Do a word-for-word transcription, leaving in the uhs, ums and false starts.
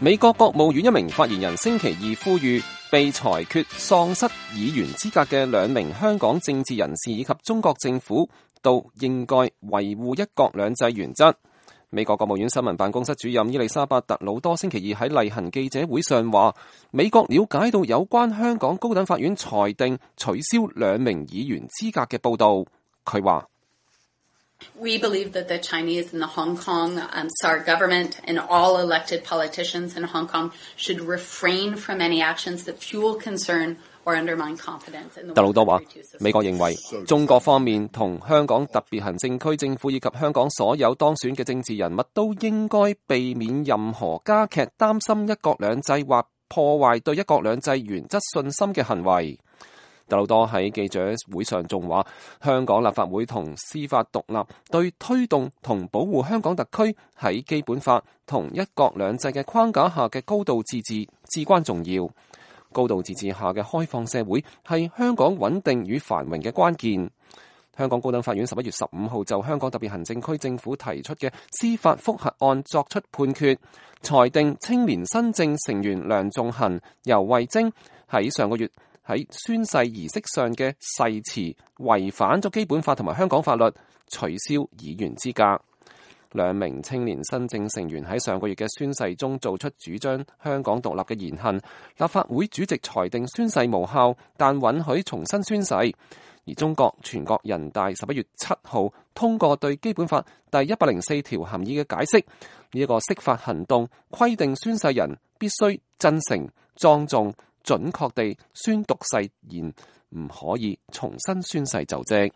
美國國務院一名發言人星期二呼籲，被裁決喪失議員資格嘅兩名香港政治人士以及中國政府都應該維護一國兩制原則。美國國務院新聞辦公室主任伊麗莎白特魯多星期二喺例行記者會上話，美國了解到有關香港高等法院裁定取消兩名議員資格嘅報道。佢話：We believe that the Chinese and the Hong Kong um, S A R government and all elected politicians in Hong Kong should refrain from any actions that fuel concern or undermine confidence in the。特魯多話：美國認為中國方面同香港特別行政區政府以及香港所有當選嘅政治人物都應該避免任何加劇擔心一國兩制或破壞對一國兩制原則信心嘅行為。特魯多喺記者會上仲話，香港立法會同司法獨立對推動同保護香港特區喺基本法同一國兩制嘅框架下嘅高度自治至關重要。高度自治下嘅開放社會係香港穩定與繁榮嘅關鍵。香港高等法院十一月十五號就香港特別行政區政府提出嘅司法覆核案作出判決，裁定青年新政成員梁頌恆、游蕙禎喺上個月喺宣誓儀式上嘅誓詞違反咗基本法同埋香港法律，取消議員資格。兩名青年新政成員喺上個月嘅宣誓中做出主張香港獨立嘅言行，立法會主席裁定宣誓無效，但允許重新宣誓。而中國全國人大十一月七號通過對基本法第一百零四條含義嘅解釋，呢一個釋法行動規定宣誓人必須真誠、莊重、準確地宣讀誓言，唔可以重新宣誓就職。